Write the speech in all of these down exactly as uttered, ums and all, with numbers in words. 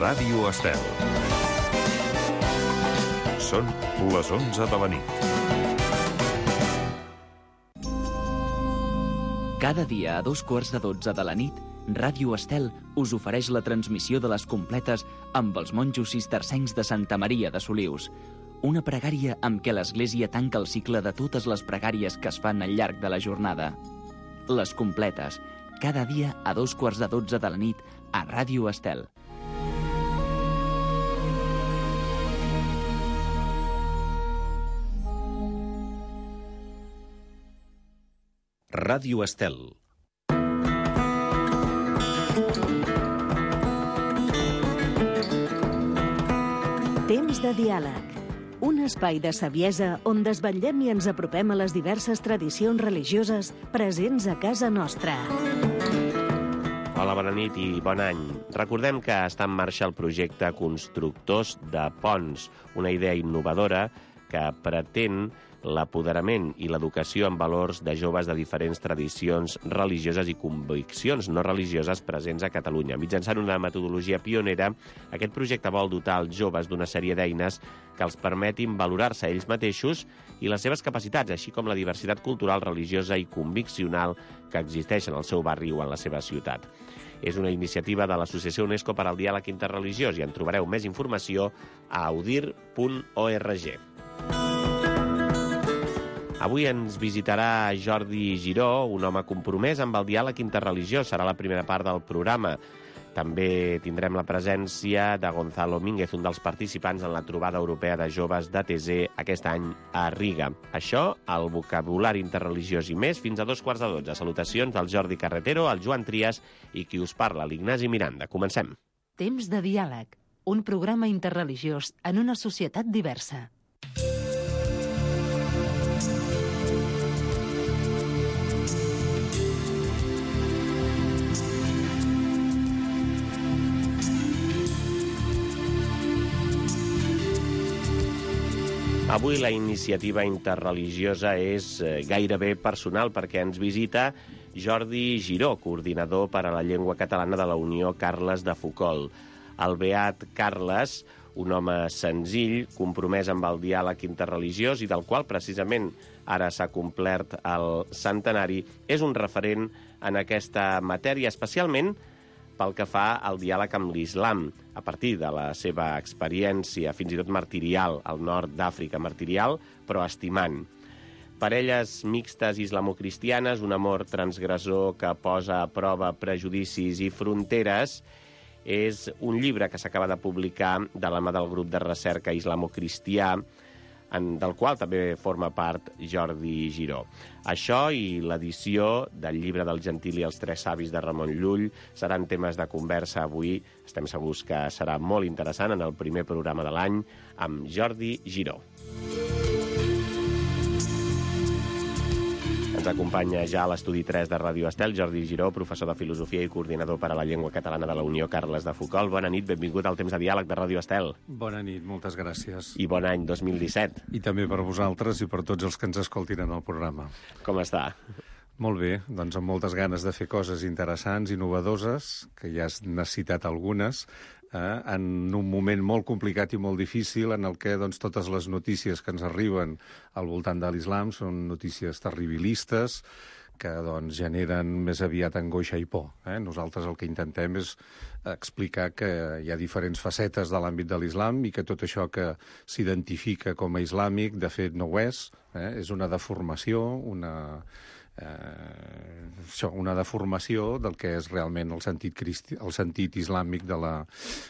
Ràdio Estel. Són les onze de la nit. Cada dia a dos quarts de dotze de la nit, Ràdio Estel us ofereix la transmissió de les completes amb els monjos cistercencs de Santa Maria de Solius. Una pregària amb què l'Església tanca el cicle de totes les pregàries que es fan al llarg de la jornada. Les completes, cada dia a dos quarts de dotze de la nit a Ràdio Estel. Ràdio Estel. Temps de diàleg. Un espai de saviesa on desvetllem i ens apropem a les diverses tradicions religioses presents a casa nostra. Hola, bona nit i bon any. Recordem que està en marxa el projecte Constructors de Ponts, una idea innovadora que pretén l'apoderament i l'educació en valors de joves de diferents tradicions religioses i conviccions no religioses presents a Catalunya. Mitjançant una metodologia pionera, aquest projecte vol dotar els joves d'una sèrie d'eines que els permetin valorar-se ells mateixos i les seves capacitats, així com la diversitat cultural, religiosa i conviccional que existeix en el seu barri o en la seva ciutat. És una iniciativa de l'Associació UNESCO per al Diàleg Interreligiós i en trobareu més informació a audir punt org. Avui ens visitarà Jordi Giró, un home compromès amb el diàleg interreligiós. Serà la primera part del programa. També tindrem la presència de Gonzalo Mínguez, un dels participants en la trobada europea de joves d'A T Z aquest any a Riga. Això, el vocabulari interreligiós i més, fins a dos quarts de dotze. Salutacions del Jordi Carretero, el Joan Trias i qui us parla, l'Ignasi Miranda. Comencem. Temps de diàleg. Un programa interreligiós en una societat diversa. Avui la iniciativa interreligiosa és gairebé personal perquè ens visita Jordi Giró, coordinador per a la llengua catalana de la Unió Carles de Foucault. El beat Carles, un home senzill, compromès amb el diàleg interreligiós i del qual precisament ara s'ha complert el centenari, és un referent en aquesta matèria, especialment pel que fa al diàleg amb l'islam, a partir de la seva experiència, fins i tot martirial, al nord d'Àfrica, martirial, però estimant. Parelles mixtes islamocristianes, un amor transgressor que posa a prova prejudicis i fronteres, és un llibre que s'acaba de publicar de la mà del grup de recerca islamocristià, en, del qual també forma part Jordi Giró. Això i l'edició del llibre del Gentil i els Tres Savis de Ramon Llull seran temes de conversa avui. Estem segurs que serà molt interessant en el primer programa de l'any amb Jordi Giró. Ens acompanya ja a l'estudi tres de Ràdio Estel Jordi Giró, professor de Filosofia i coordinador per a la llengua catalana de la Unió Carles de Foucault. Bona nit, benvingut al Temps de Diàleg de Ràdio Estel. Bona nit, moltes gràcies. I bon any dos mil disset. I també per vosaltres i per tots els que ens escoltin en el programa. Com està? Molt bé, doncs amb moltes ganes de fer coses interessants, innovadores, que ja has citat algunes, eh, en un moment molt complicat i molt difícil en el que doncs, totes les notícies que ens arriben al voltant de l'islam són notícies terribilistes que doncs, generen més aviat angoixa i por. Eh? Nosaltres el que intentem és explicar que hi ha diferents facetes de l'àmbit de l'islam i que tot això que s'identifica com a islàmic, de fet, no ho és. Eh? És una deformació, una... Eh, això, una deformació del que és realment el sentit, cristi, el sentit islàmic de la,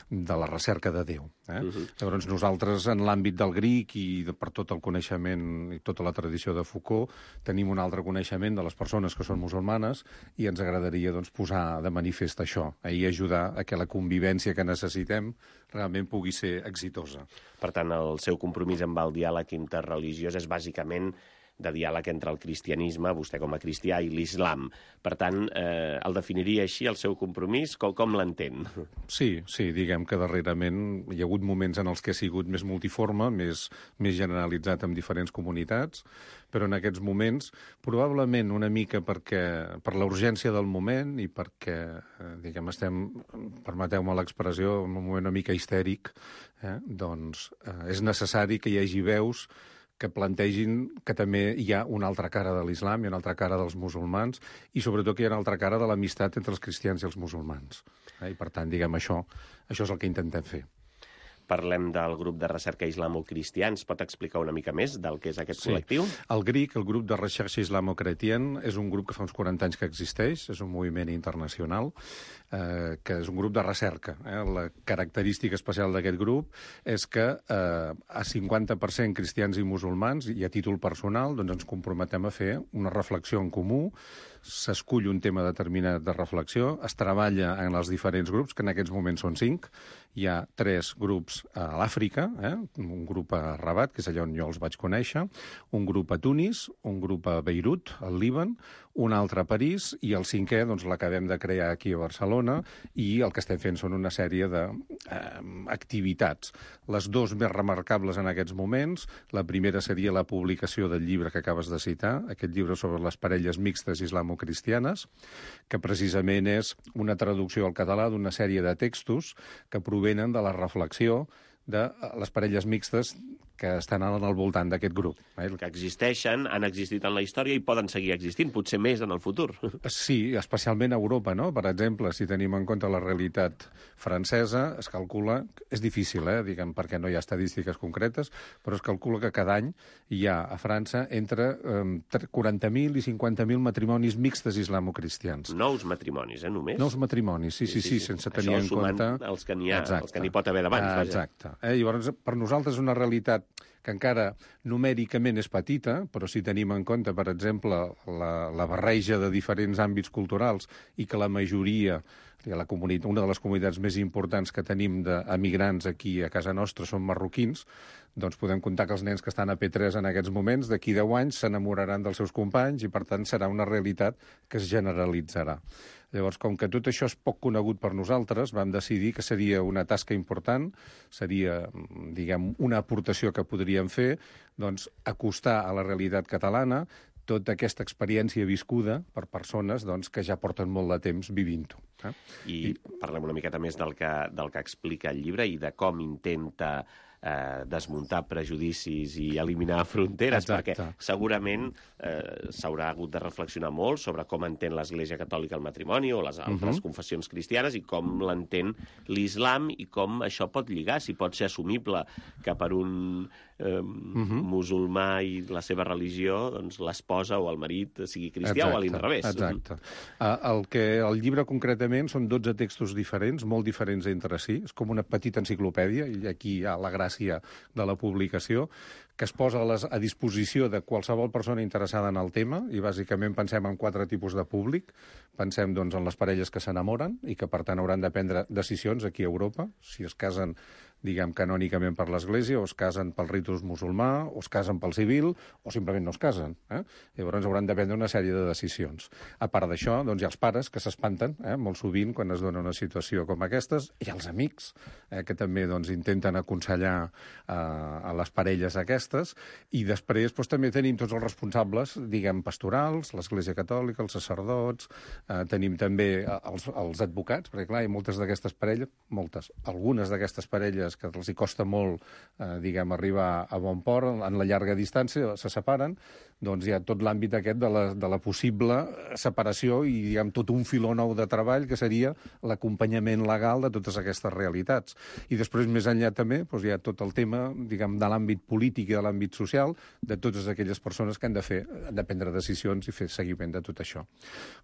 de la recerca de Déu. Eh? Uh-huh. Llavors nosaltres en l'àmbit del Greek i de, per tot el coneixement i tota la tradició de Foucault tenim un altre coneixement de les persones que són musulmanes i ens agradaria doncs, posar de manifest això eh? i ajudar a que la convivència que necessitem realment pugui ser exitosa. Per tant, el seu compromís amb el diàleg interreligiós és bàsicament de diàleg entre el cristianisme, vostè com a cristià, i l'islam. Per tant, eh, el definiria així, el seu compromís? Com, com l'entén? Sí, sí, diguem que darrerament hi ha hagut moments en els que ha sigut més multiforme, més, més generalitzat en diferents comunitats, però en aquests moments, probablement una mica perquè, per la urgència del moment i perquè, eh, diguem, estem, permeteu-me l'expressió, en un moment una mica histèric, eh, doncs eh, és necessari que hi hagi veus que plantegin que també hi ha una altra cara de l'islam, hi ha una altra cara dels musulmans, i sobretot que hi ha una altra cara de l'amistat entre els cristians i els musulmans. Eh? I per tant, diguem, això, això és el que intentem fer. Parlem del grup de recerca islamo-cristià. Ens pot explicar una mica més del que és aquest Sí. col·lectiu? El GRIC, el grup de recerca islamo-chrétien, és un grup que fa uns quaranta anys que existeix, és un moviment internacional, eh, que és un grup de recerca. Eh? La característica especial d'aquest grup és que eh, a cinquanta per cent cristians i musulmans, i a títol personal, doncs ens comprometem a fer una reflexió en comú, s'escull un tema determinat de reflexió, es treballa en els diferents grups, que en aquests moments són cinc. Hi ha tres grups a l'Àfrica, eh? Un grup a Rabat, que és allà on jo els vaig conèixer, un grup a Tunis, un grup a Beirut, al Líban, un altre a París, i el cinquè doncs, l'acabem de crear aquí a Barcelona, i el que estem fent són una sèrie d'activitats. Eh, les dues més remarcables en aquests moments, la primera seria la publicació del llibre que acabes de citar, aquest llibre sobre les parelles mixtes islamo-cristianes, que precisament és una traducció al català d'una sèrie de textos que provenen de la reflexió de les parelles mixtes que estan al voltant d'aquest grup. Eh? Que existeixen, han existit en la història i poden seguir existint, potser més en el futur. Sí, especialment a Europa, no? Per exemple, si tenim en compte la realitat francesa, es calcula, és difícil, eh, diguem, perquè no hi ha estadístiques concretes, però es calcula que cada any hi ha a França entre eh, quaranta mil i cinquanta mil matrimonis mixtes islamo-cristians. Nous matrimonis, eh, només? Nous matrimonis, sí, sí, sí, sí, sí sense tenir en compte... Això els que n'hi ha, els que n'hi pot haver d'abans. Ah, exacte. Eh, llavors, per nosaltres una realitat que encara numèricament és petita, però si tenim en compte, per exemple, la, la barreja de diferents àmbits culturals i que la majoria, la comunitat, una de les comunitats més importants que tenim d'emigrants aquí a casa nostra són marroquins, doncs podem comptar que els nens que estan a P tres en aquests moments, d'aquí deu anys, s'enamoraran dels seus companys i, per tant, serà una realitat que es generalitzarà. Llavors, com que tot això és poc conegut per nosaltres, vam decidir que seria una tasca important, seria, diguem, una aportació que podríem fer, doncs, acostar a la realitat catalana tota aquesta experiència viscuda per persones doncs, que ja porten molt de temps vivint-ho. Eh? I, I parlem una miqueta més del que, del que explica el llibre i de com intenta eh, desmuntar prejudicis i eliminar fronteres, Exacte. perquè segurament eh, s'haurà hagut de reflexionar molt sobre com entén l'Església Catòlica el matrimoni o les altres uh-huh. confessions cristianes i com l'entén l'islam i com això pot lligar, si pot ser assumible que per un eh, uh-huh. musulmà i la seva religió doncs, l'esposa o el marit sigui cristià exacte, o a l'inrevés. Exacte. Uh, el, que, el llibre concretament són dotze textos diferents, molt diferents entre si, és com una petita enciclopèdia, i aquí hi ha la gràcia de la publicació, que es posa a, les, a disposició de qualsevol persona interessada en el tema, i bàsicament pensem en quatre tipus de públic. Pensem doncs, en les parelles que s'enamoren i que, per tant, hauran de prendre decisions aquí a Europa, si es casen diguem, canònicament per l'Església, o es casen pel ritus musulmà, o es casen pel civil, o simplement no es casen. Eh? Llavors hauran de prendre una sèrie de decisions. A part d'això, doncs, hi ha els pares que s'espanten, eh? molt sovint, quan es dona una situació com aquestes, i els amics, eh? que també doncs, intenten aconsellar eh, a les parelles aquestes, i després doncs, també tenim tots els responsables, diguem, pastorals, l'Església Catòlica, els sacerdots, eh, tenim també els, els advocats, perquè clar, hi ha moltes d'aquestes parelles, moltes, algunes d'aquestes parelles que els hi costa molt, eh, diguem, arribar a bon port, en la llarga distància, se separen, doncs hi ha tot l'àmbit aquest de la, de la possible separació i, diguem, tot un filó nou de treball que seria l'acompanyament legal de totes aquestes realitats. I després, més enllà també, doncs hi ha tot el tema, diguem, de l'àmbit polític i de l'àmbit social, de totes aquelles persones que han de fer, han de prendre decisions i fer seguiment de tot això.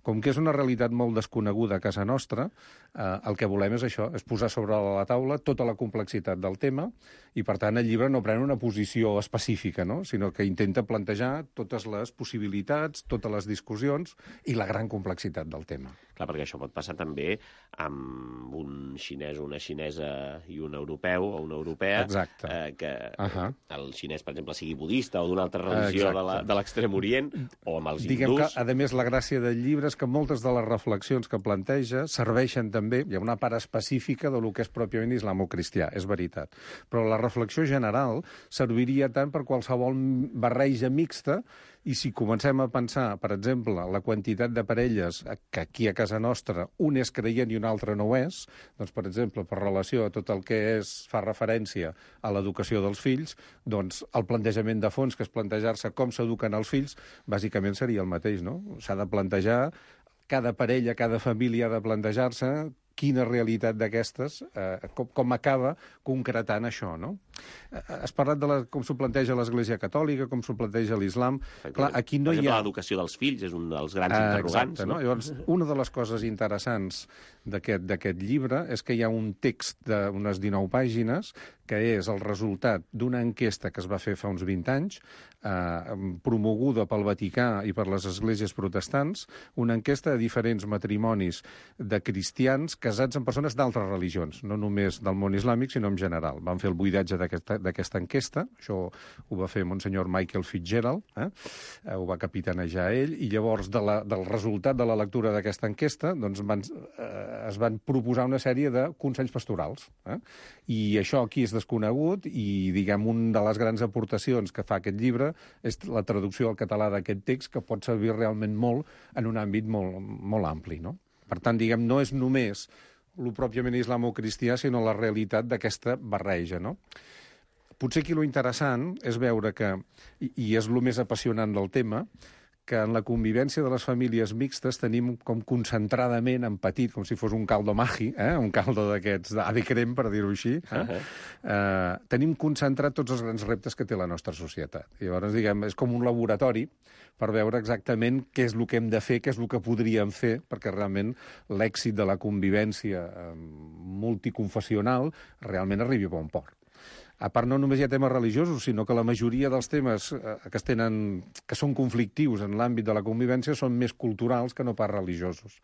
Com que és una realitat molt desconeguda a casa nostra, eh, el que volem és això, és posar sobre la taula tota la complexitat del tema i, per tant, el llibre no pren una posició específica, no? Sinó que intenta plantejar tot totes les possibilitats, totes les discussions i la gran complexitat del tema. Clar, perquè això pot passar també amb un xinès o una xinesa i un europeu o una europea. Exacte. Eh, que uh -huh. el xinès, per exemple, sigui budista o d'una altra religió Exacte. de l'extrem orient, o amb els Diguem hindús. que, a més, la gràcia del llibre és que moltes de les reflexions que planteja serveixen també, hi ha una part específica de lo que és pròpiament islamo-cristià, és veritat. Però la reflexió general serviria tant per qualsevol barreja mixta. I si comencem a pensar, per exemple, la quantitat de parelles que aquí a casa nostra un és creient i un altre no ho és, doncs, per exemple, per relació a tot el que és, fa referència a l'educació dels fills, doncs el plantejament de fons, que és plantejar-se com s'eduquen els fills, bàsicament seria el mateix, no? S'ha de plantejar, cada parella, cada família ha de plantejar-se quina realitat d'aquestes, eh, com, com acaba concretant això, no? Has parlat de la, com s'ho planteja l'Església Catòlica, com s'ho planteja l'Islam. Clar, aquí no per exemple, hi ha... l'educació dels fills és un dels grans ah, interrogants. Exacte, no? Llavors, una de les coses interessants d'aquest llibre és que hi ha un text d'unes dinou pàgines que és el resultat d'una enquesta que es va fer fa uns vint anys, eh, promoguda pel Vaticà i per les esglésies protestants, una enquesta de diferents matrimonis de cristians casats amb persones d'altres religions, no només del món islàmic, sinó en general. Van fer el buidatge d'aquesta enquesta, això ho va fer Monsenyor Michael Fitzgerald, eh? ho va capitanejar ell, i llavors de la, del resultat de la lectura d'aquesta enquesta doncs van, eh, es van proposar una sèrie de consells pastorals. Eh? I això aquí és desconegut i, diguem, una de les grans aportacions que fa aquest llibre és la traducció al català d'aquest text, que pot servir realment molt en un àmbit molt, molt ampli, no? Per tant, diguem, no és només el pròpiament islamo-cristià, sinó la realitat d'aquesta barreja, no? Potser aquí lo interessant és veure que, i, i és el més apassionant del tema, que en la convivència de les famílies mixtes tenim com concentradament, en petit, com si fos un caldo magi, eh? un caldo d'aquests d'ave crem, per dir-ho així, eh? Uh -huh. eh, tenim concentrat tots els grans reptes que té la nostra societat. I llavors, diguem, és com un laboratori per veure exactament què és el que hem de fer, què és el que podríem fer, perquè realment l'èxit de la convivència eh, multiconfessional realment arribi a bon port. A part, no només hi ha temes religiosos, sinó que la majoria dels temes eh, que, es tenen, que són conflictius en l'àmbit de la convivència són més culturals que no pas religiosos.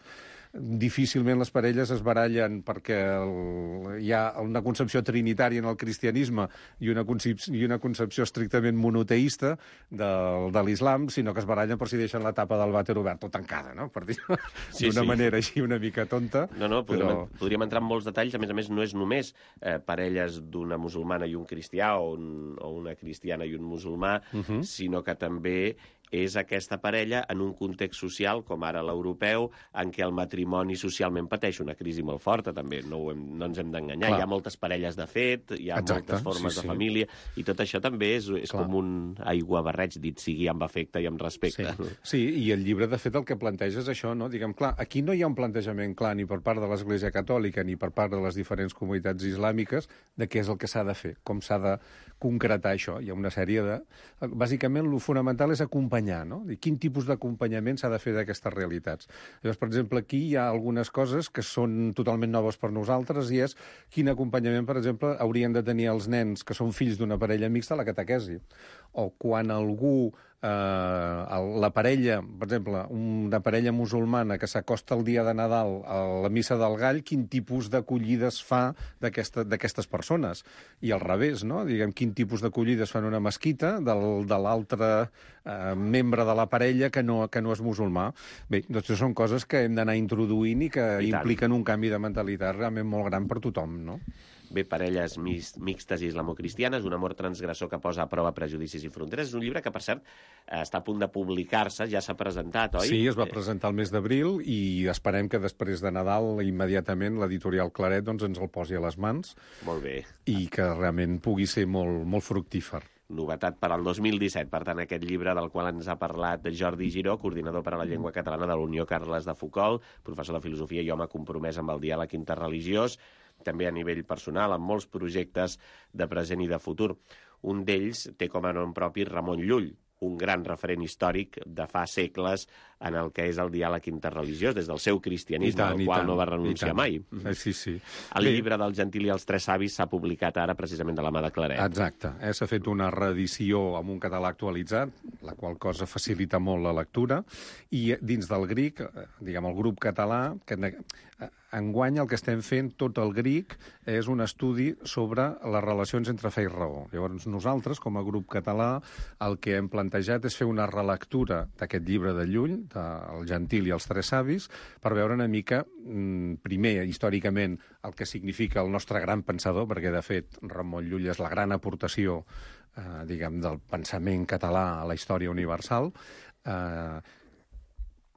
Difícilment les parelles es barallen perquè el, hi ha una concepció trinitària en el cristianisme i una, concep i una concepció estrictament monoteista de, de l'islam, sinó que es barallen per si deixen la tapa del vàter obert o tancada, no? Per dir-ho sí, d'una sí. manera així una mica tonta. No, no, podríem, però... podríem entrar en molts detalls. A més a més, no és només eh, parelles d'una musulmana i un cristià o, un, o una cristiana i un musulmà, uh -huh. sinó que també és aquesta parella en un context social, com ara l'europeu, en què el matrimoni socialment pateix una crisi molt forta, també. No, ho hem, no ens hem d'enganyar. Hi ha moltes parelles de fet, hi ha Exacte, moltes formes sí, sí. de família, i tot això també és, és com un aiguabarreig, dit sigui amb afecte i amb respecte. Sí. sí, i el llibre, de fet, el que planteja és això, no? Diguem, clar, aquí no hi ha un plantejament clar ni per part de l'Església Catòlica ni per part de les diferents comunitats islàmiques de què és el que s'ha de fer, com s'ha de concretar això. Hi ha una sèrie de... Bàsicament, el fonamental és acompanyar, no? I quin tipus d'acompanyament s'ha de fer d'aquestes realitats. Llavors, per exemple, aquí hi ha algunes coses que són totalment noves per nosaltres i és quin acompanyament, per exemple, haurien de tenir els nens que són fills d'una parella mixta a la catequesi. O quan algú... Eh, la parella, per exemple, una parella musulmana que s'acosta el dia de Nadal a la missa del Gall, quin tipus d'acollides fa d'aquestes persones? I al revés, no? Diguem, quin tipus d'acollides fan una mesquita del, de l'altre eh, membre de la parella que no, que no és musulmà? Bé, doncs són coses que hem d'anar introduint i que I impliquen un canvi de mentalitat realment molt gran per tothom, no? Bé, parelles mixtes islamo-cristianes, un amor transgressor que posa a prova prejudicis i fronteres. És un llibre que, per cert, està a punt de publicar-se, ja s'ha presentat, oi? Sí, es va presentar el mes d'abril i esperem que després de Nadal, immediatament, l'editorial Claret doncs, ens el posi a les mans. Molt bé. I que realment pugui ser molt, molt fructífer. Novetat per al dos mil disset, per tant, aquest llibre del qual ens ha parlat Jordi Giró, coordinador per a la llengua catalana de la Unió Carles de Foucault, professor de filosofia i home compromès amb el diàleg interreligiós, també a nivell personal, amb molts projectes de present i de futur. Un d'ells té com a nom propi Ramon Llull, un gran referent històric de fa segles en el que és el diàleg interreligiós, des del seu cristianisme, tant, al qual tant, no va renunciar mai. Eh, sí, sí. El Bé, llibre del Gentil i els Tres Savis s'ha publicat ara precisament de la mà de Claret. Exacte. Eh? S'ha fet una reedició amb un català actualitzat, la qual cosa facilita molt la lectura, i dins del Gric, eh, diguem, el grup català, que eh, enguany el que estem fent, tot el Gric, és un estudi sobre les relacions entre fe i raó. Llavors, nosaltres, com a grup català, el que hem plantejat és fer una relectura d'aquest llibre de Llull, del Gentil i els Tres Savis, per veure una mica, primer, històricament, el que significa el nostre gran pensador, perquè, de fet, Ramon Llull és la gran aportació, eh, diguem, del pensament català a la història universal, eh,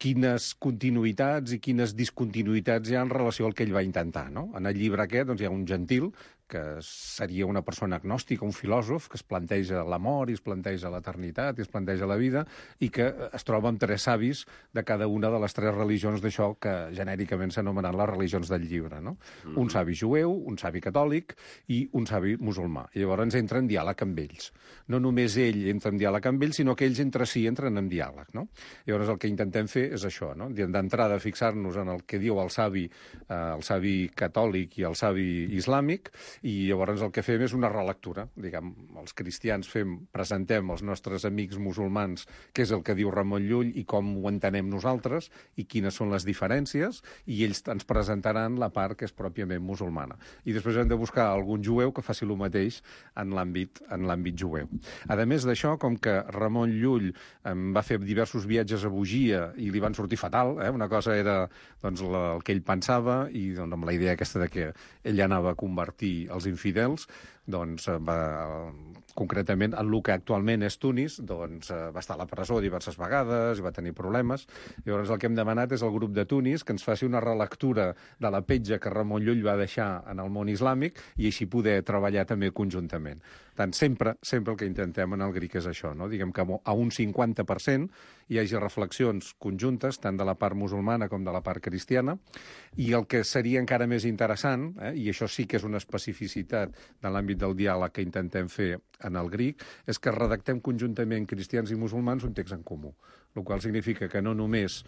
quines continuïtats i quines discontinuïtats hi ha en relació al que ell va intentar, no? En el llibre aquest doncs, hi ha un gentil, que seria una persona agnòstica, un filòsof, que es planteja l'amor i es planteja l'eternitat i es planteja la vida, i que es troba amb tres savis de cada una de les tres religions d'això que genèricament s'anomenen les religions del llibre, no? Mm-hmm. Un savi jueu, un savi catòlic i un savi musulmà. I llavors entra en diàleg amb ells. No només ell entra en diàleg amb ells, sinó que ells entre si entren en diàleg, no? Llavors el que intentem fer és això, no? D'entrada fixar-nos en el que diu el savi, eh, el savi catòlic i el savi islàmic, i llavors el que fem és una relectura. Diguem, els cristians fem, presentem als nostres amics musulmans què és el que diu Ramon Llull i com ho entenem nosaltres i quines són les diferències, i ells ens presentaran la part que és pròpiament musulmana. I després hem de buscar algun jueu que faci el mateix en l'àmbit en l'àmbit jueu. A més d'això, com que Ramon Llull eh, va fer diversos viatges a Bugia i li van sortir fatal, eh? Una cosa era doncs, la, el que ell pensava, i doncs, amb la idea aquesta de que ell anava a convertir els infidels, doncs va, concretament en el que actualment és Tunis, doncs va estar a la presó diverses vegades i va tenir problemes. Llavors el que hem demanat és al grup de Tunis que ens faci una relectura de la petja que Ramon Llull va deixar en el món islàmic i així poder treballar també conjuntament. Tant sempre, sempre el que intentem en el Gric és això, no? Diguem que a un cinquanta per cent hi hagi reflexions conjuntes, tant de la part musulmana com de la part cristiana, i el que seria encara més interessant, eh, i això sí que és una especificitat de l'àmbit del diàleg que intentem fer en el Gric, és que redactem conjuntament cristians i musulmans un text en comú, el qual significa que no només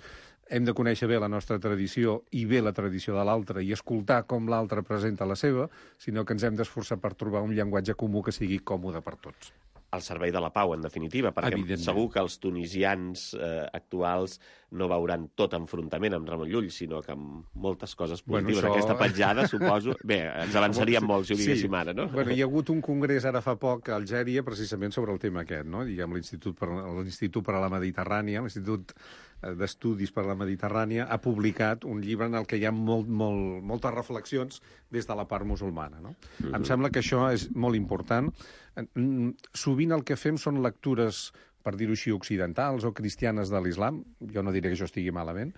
hem de conèixer bé la nostra tradició i bé la tradició de l'altre i escoltar com l'altre presenta la seva, sinó que ens hem d'esforçar per trobar un llenguatge comú que sigui còmode per tots. Al servei de la pau, en definitiva, perquè segur que els tunisians eh, actuals no veuran tot enfrontament amb Ramon Llull, sinó que amb moltes coses positives. Bueno, això... Aquesta petjada, suposo... Bé, ens avançaríem molt si ho diguéssim sí. ara, no? Bueno, hi ha hagut un congrés ara fa poc a Algèria precisament sobre el tema aquest, no? Diguem, l'Institut per, l'Institut per a la Mediterrània, l'Institut d'Estudis per a la Mediterrània, ha publicat un llibre en el que hi ha molt, molt, moltes reflexions des de la part musulmana, no? Mm-hmm. Em sembla que això és molt important. Sovint el que fem són lectures, per dir-ho així, occidentals o cristianes de l'islam. Jo no diré que això estigui malament,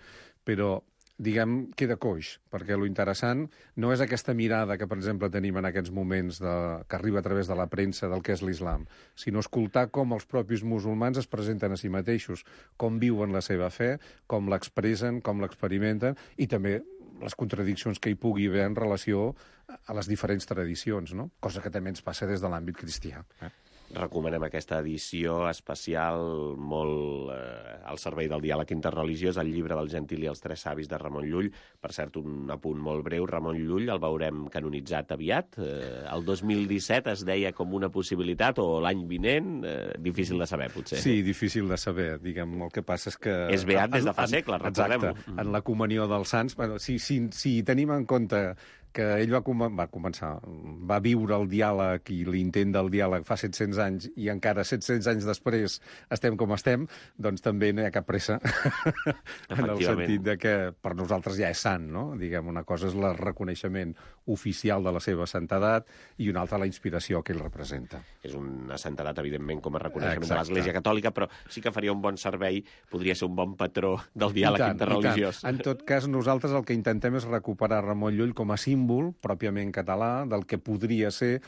però, diguem, queda coix, perquè lo interessant no és aquesta mirada que, per exemple, tenim en aquests moments de, que arriba a través de la premsa del que és l'islam, sinó escoltar com els propis musulmans es presenten a si mateixos, com viuen la seva fe, com l'expressen, com l'experimenten, i també les contradiccions que hi pugui haver en relació a les diferents tradicions, no? Cosa que també ens passa des de l'àmbit cristià. Eh? Recomanem aquesta edició especial molt eh, al servei del diàleg interreligiós, el llibre del Gentil i els Tres Savis de Ramon Llull. Per cert, un apunt molt breu, Ramon Llull el veurem canonitzat aviat. Eh, el dos mil disset es deia com una possibilitat, o l'any vinent, eh, difícil de saber, potser. Sí, difícil de saber. Diguem, el que passa és que... És beat des de fa segles, recordem-ho. Exacte, en la comunió dels sants. Bueno, si, si, si tenim en compte que ell va, com va començar, va viure el diàleg i l'intent del diàleg fa set-cents anys i encara set-cents anys després estem com estem, doncs també no hi ha cap pressa en el sentit de que per nosaltres ja és sant, no? Diguem, una cosa és el reconeixement oficial de la seva santedat i una altra la inspiració que ell representa. És una santedat, evidentment, com a reconeixement Exacte. de l'Església Catòlica, però sí que faria un bon servei, podria ser un bon patró del diàleg tant, interreligiós. En tot cas, nosaltres el que intentem és recuperar Ramon Llull com a símbol pròpiament català del que podria ser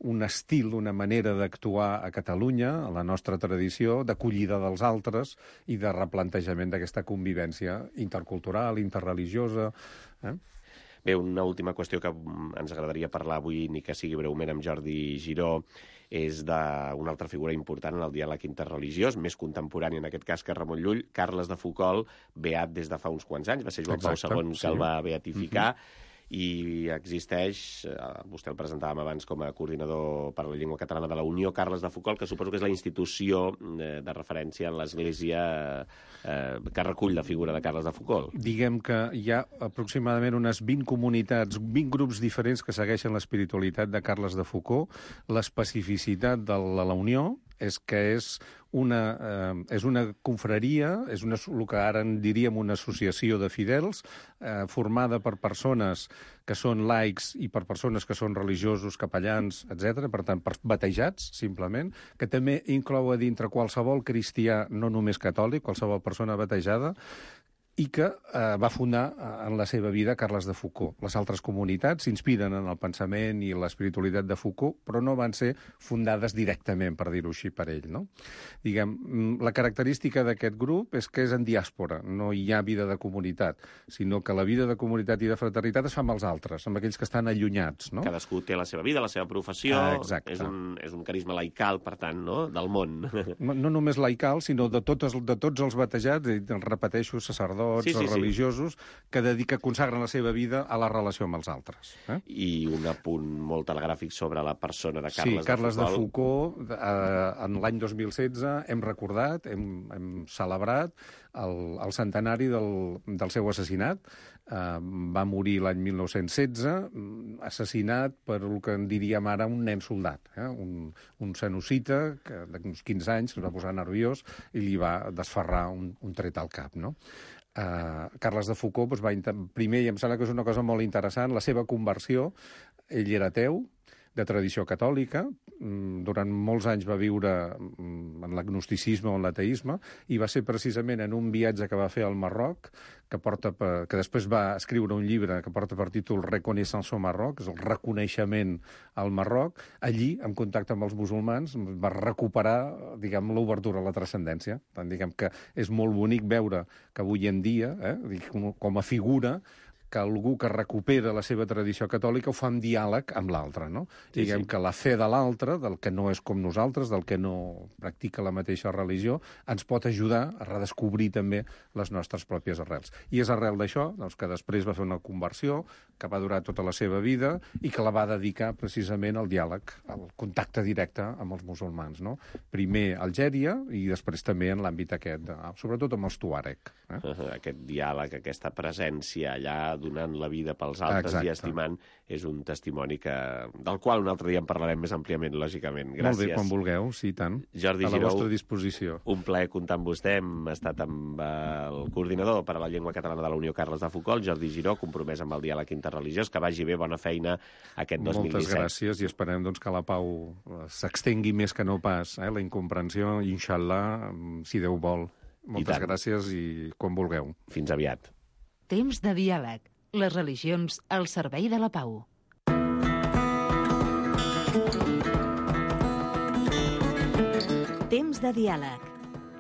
un estil, una manera d'actuar a Catalunya, a la nostra tradició, d'acollida dels altres i de replantejament d'aquesta convivència intercultural, interreligiosa. Eh? Bé, una última qüestió que ens agradaria parlar avui, ni que sigui breument, amb Jordi Giró, és d'una altra figura important en el diàleg interreligiós, més contemporani en aquest cas que Ramon Llull, Carles de Foucauld, beat des de fa uns quants anys, va ser Joan Pau segon que el va beatificar, uh-huh. i existeix, vostè el presentàvem abans com a coordinador per a la llengua catalana de la Unió, Carles de Foucauld, que suposo que és la institució de referència en l'Església eh, que recull la figura de Carles de Foucauld. Diguem que hi ha aproximadament unes vint comunitats, vint grups diferents que segueixen l'espiritualitat de Carles de Foucauld. L'especificitat de la, la Unió és que és una, eh, és una confraria, és una, el que ara en diríem una associació de fidels, eh, formada per persones que són laics i per persones que són religiosos, capellans, etcètera, per tant, per batejats, simplement, que també inclou a dintre qualsevol cristià, no només catòlic, qualsevol persona batejada, i que eh, va fundar eh, en la seva vida Carles de Foucauld. Les altres comunitats s'inspiren en el pensament i l'espiritualitat de Foucauld, però no van ser fundades directament, per dir-ho així, per ell. No? Diguem, la característica d'aquest grup és que és en diàspora, no hi ha vida de comunitat, sinó que la vida de comunitat i de fraternitat es fa amb els altres, amb aquells que estan allunyats. No? Cadascú té la seva vida, la seva professió, ah, és, un, és un carisma laical, per tant, no? Del món. No, no només laical, sinó de, totes, de tots els batejats, i repeteixo, sacerdots, Sí, sí, o religiosos, sí. que dedica, consagren la seva vida a la relació amb els altres. Eh? I un apunt molt telegràfic sobre la persona de Carles, sí, Carles de Foucauld. Sí, Carles de Foucauld, eh, en l'any dos mil setze hem recordat, hem, hem celebrat el, el centenari del, del seu assassinat. Eh, va morir l'any mil nou-cents setze, assassinat per el que en diríem ara un nen soldat, eh? un, un senocita que d'uns quinze anys es va posar nerviós i li va desferrar un, un tret al cap, no? Uh, Carles de Foucauld doncs, va primer, i em sembla que és una cosa molt interessant, la seva conversió. Ell era ateu, de tradició catòlica, durant molts anys va viure en l'agnosticisme o en l'ateisme, i va ser precisament en un viatge que va fer al Marroc, que, porta per, que després va escriure un llibre que porta per títol Reconnaissance au Maroc, és el reconeixement al Marroc. Allí, en contacte amb els musulmans, va recuperar, diguem, l'obertura a la transcendència. Tant, diguem que és molt bonic veure que avui en dia, eh, com a figura, que algú que recupera la seva tradició catòlica ho fa en diàleg amb l'altre, no? Sí, Diguem sí. que la fe de l'altre, del que no és com nosaltres, del que no practica la mateixa religió, ens pot ajudar a redescobrir també les nostres pròpies arrels. I és arrel d'això doncs, que després va fer una conversió que va durar tota la seva vida i que la va dedicar precisament al diàleg, al contacte directe amb els musulmans, no? Primer a Algèria i després també en l'àmbit aquest, sobretot amb els tuàrec. Eh? Aquest diàleg, aquesta presència allà donant la vida pels altres Exacte. I estimant, és un testimoni que, del qual un altre dia en parlarem més àmpliament, lògicament. Gràcies. Molt bé, quan vulgueu, sí, tant. Jordi a la Giró, vostra disposició. Un plaer comptar amb vostè. Hem estat amb el coordinador per a la llengua catalana de la Unió, Carles de Foucauld, Jordi Giró, compromès amb el diàleg interreligiós. Que vagi bé, bona feina aquest dos mil disset. Moltes gràcies i esperem doncs, que la pau s'extengui més que no pas, eh? La incomprensió, inshallah, si Déu vol. Moltes gràcies i quan vulgueu. Fins aviat. Temps de diàleg. Les religions al servei de la pau. Temps de diàleg.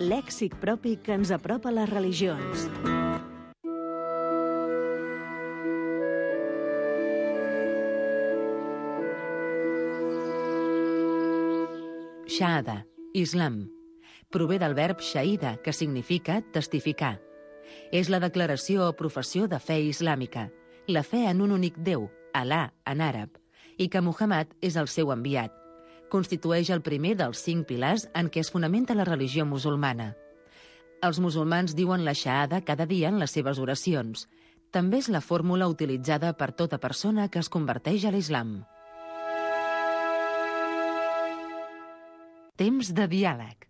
Lèxic propi que ens apropa a les religions. Shahada, islam. Prové del verb shahida, que significa testificar. És la declaració o professió de fe islàmica, la fe en un únic Déu, Alà en àrab, i que Muhammad és el seu enviat. Constitueix el primer dels cinc pilars en què es fonamenta la religió musulmana. Els musulmans diuen la shahada cada dia en les seves oracions. També és la fórmula utilitzada per tota persona que es converteix a l'islam. Temps de diàleg.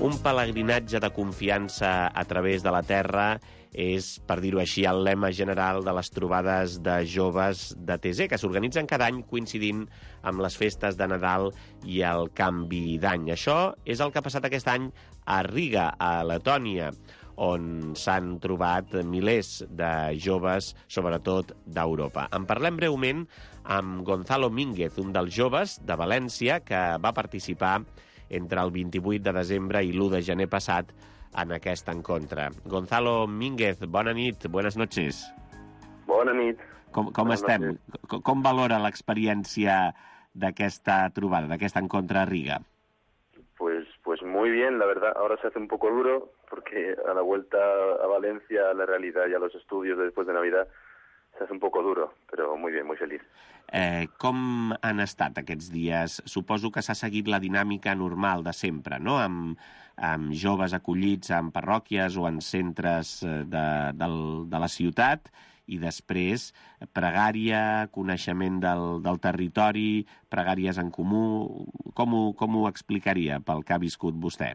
Un pelegrinatge de confiança a través de la terra és, per dir-ho així, el lema general de les trobades de joves de T Z, que s'organitzen cada any coincidint amb les festes de Nadal i el canvi d'any. Això és el que ha passat aquest any a Riga, a Letònia, on s'han trobat milers de joves, sobretot d'Europa. En parlem breument amb Gonzalo Mínguez, un dels joves de València que va participar entre el vint-i-vuit de desembre i l'u de gener passat en aquest encontre. Gonzalo Mínguez, bona nit, buenas noches. Bona nit. Com, com estem? Com, com valora l'experiència d'aquesta trobada, d'aquest encontre a Riga? Pues, pues muy bien, la verdad. Ahora se hace un poco duro porque a la vuelta a Valencia, a la realidad y a los estudios después de Navidad, se hace un poco duro, pero muy bien, muy feliz. Eh, com han estat aquests dies? Suposo que s'ha seguit la dinàmica normal de sempre, no? Amb, amb joves acollits en parròquies o en centres de, de, de la ciutat, i després pregària, coneixement del, del territori, pregàries en comú. Com ho, com ho explicaria pel que ha viscut vostè?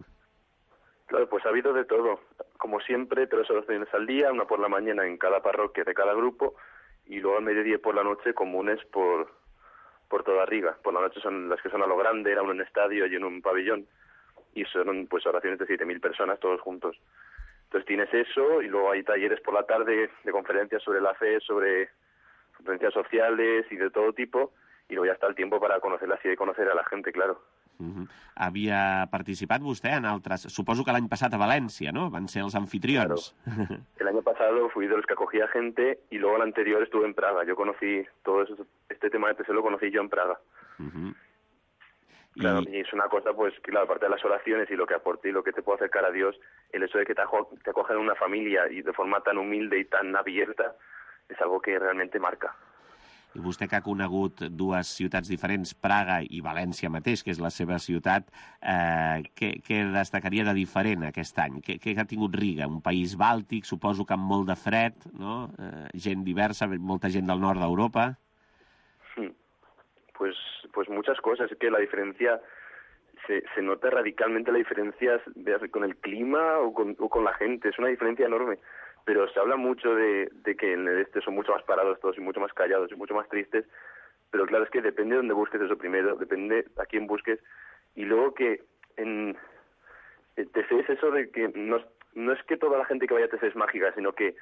Claro, pues ha habido de todo. Como siempre, tres oraciones al día, una por la mañana en cada parroquia de cada grupo, y luego al mediodía y por la noche comunes por, por toda Riga. Por la noche son las que son a lo grande, era uno en un estadio y en un pabellón, y son pues oraciones de siete mil personas todos juntos. Entonces tienes eso, y luego hay talleres por la tarde de conferencias sobre la fe, sobre conferencias sociales y de todo tipo, y luego ya está el tiempo para conocerla así, de conocer a la gente, claro. Uh-huh. Havia participat vostè en altres... Suposo que l'any passat a València, ¿no? Van ser els anfitrions. Claro. El año pasado fui de los que acogía gente, y luego el anterior estuve en Praga. Yo conocí todo eso, este tema de T C lo conocí yo en Praga. Uh-huh. Claro, y... y es una cosa, pues, claro, aparte de las oraciones y lo que aporte y lo que te puede acercar a Dios, el hecho de que te, ajo te acojan en una familia y de forma tan humilde y tan abierta, es algo que realmente marca. I vostè que ha conegut dues ciutats diferents, Praga i València mateix, que és la seva ciutat, eh, què, què destacaria de diferent aquest any? Què, què ha tingut Riga? Un país bàltic, suposo que amb molt de fred, no? Eh, gent diversa, molta gent del nord d'Europa. Pues, pues muchas cosas. Es que la diferencia, se, se nota radicalmente la diferencia con el clima o con, o con la gente. Es una diferencia enorme. Pero se habla mucho de, de que en el este son mucho más parados todos y mucho más callados y mucho más tristes. Pero claro, es que depende de dónde busques eso primero, depende a quién busques. Y luego que en T C es eso de que no, no es que toda la gente que vaya a T C es mágica, sino que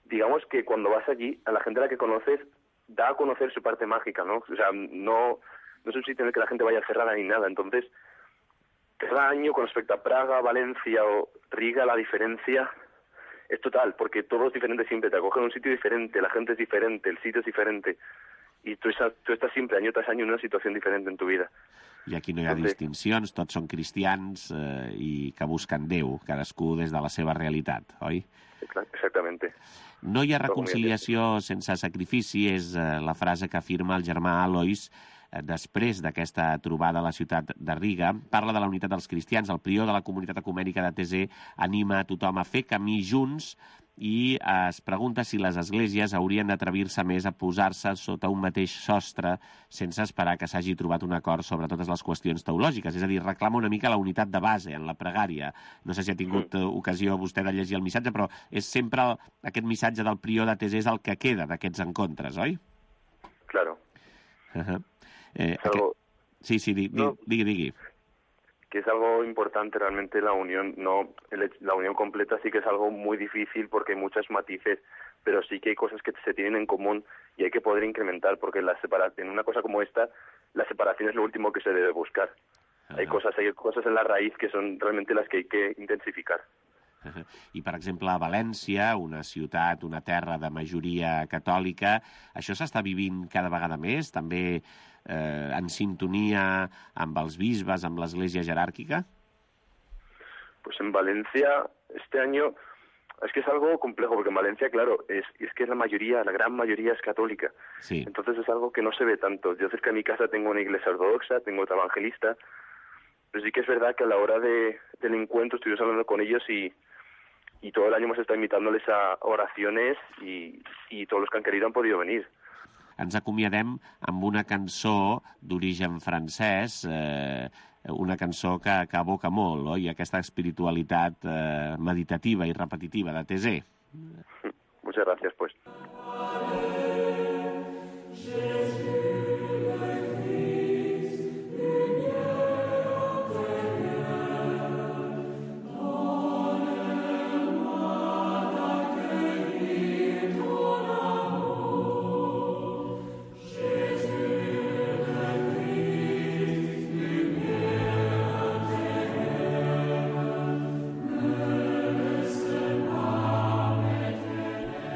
digamos que cuando vas allí, a la gente a la que conoces, da a conocer su parte mágica, ¿no? O sea, no, no es un sitio en el que la gente vaya cerrada ni nada. Entonces, cada año con respecto a Praga, Valencia o Riga, la diferencia es total, porque todo es diferente siempre. Te acogen en un sitio diferente, la gente es diferente, el sitio es diferente. Y tú, esa, tú estás siempre, año tras año, en una situació diferent en tu vida. I aquí no hi ha Entonces, distincions, tots són cristians eh, i que busquen Déu, cadascú des de la seva realitat, oi? Exactament. No hi ha reconciliació sense sacrifici, és eh, la frase que afirma el germà Alois després d'aquesta trobada a la ciutat de Riga. Parla de la unitat dels cristians. El prior de la comunitat ecumènica de T C anima a tothom a fer camí junts i es pregunta si les esglésies haurien d'atrevir-se més a posar-se sota un mateix sostre sense esperar que s'hagi trobat un acord sobre totes les qüestions teològiques. És a dir, reclama una mica la unitat de base en la pregària. No sé si ha tingut mm. ocasió vostè de llegir el missatge, però és sempre aquest missatge del prior de T C és el que queda d'aquests encontres, oi? Claro. Uh-huh. Eh, algo... aquest... Sí, sí, di, no, digui, digui. Que es algo importante realmente la unión, no el, la unión completa sí que es algo muy difícil porque hay muchos matices, pero sí que hay cosas que se tienen en común y hay que poder incrementar, porque la separación, en una cosa como esta, la separación es lo último que se debe buscar. Uh-huh. Hay cosas, hay cosas en la raíz que son realmente las que hay que intensificar. Uh-huh. I, per exemple, a València, una ciutat, una terra de majoria catòlica, això s'està vivint cada vegada més, també eh, en sintonia amb els bisbes, amb l'Església jeràrquica? Pues en Valencia, este año, es que es algo complejo, porque en Valencia, claro, es, es que la mayoría, la gran mayoría es católica. Sí. Entonces es algo que no se ve tanto. Yo cerca de mi casa tengo una iglesia ortodoxa, tengo otra evangelista, pero sí que es verdad que a la hora de, del encuentro estuvimos hablando con ellos y y todo el año hemos estado invitándoles a oraciones y, y todos los que han querido han podido venir. Ens acomiadem amb una cançó d'origen francès, eh, una cançó que, que evoca molt, oi? Aquesta espiritualitat eh, meditativa i repetitiva de T C. Muchas gracias, pues.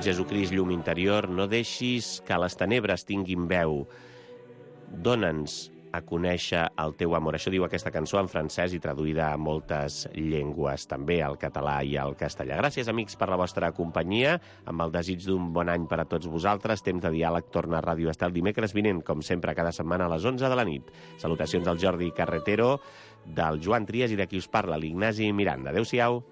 Jesucrist, llum interior, no deixis que les tenebres tinguin veu. Dóna'ns a conèixer el teu amor. Això diu aquesta cançó en francès i traduïda a moltes llengües, també al català i al castellà. Gràcies, amics, per la vostra companyia. Amb el desig d'un bon any per a tots vosaltres, Temps de Diàleg torna a Ràdio Estel dimecres vinent, com sempre, cada setmana a les onze de la nit. Salutacions del Jordi Carretero, del Joan Trias i de qui us parla, l'Ignasi Miranda. Adéu-siau.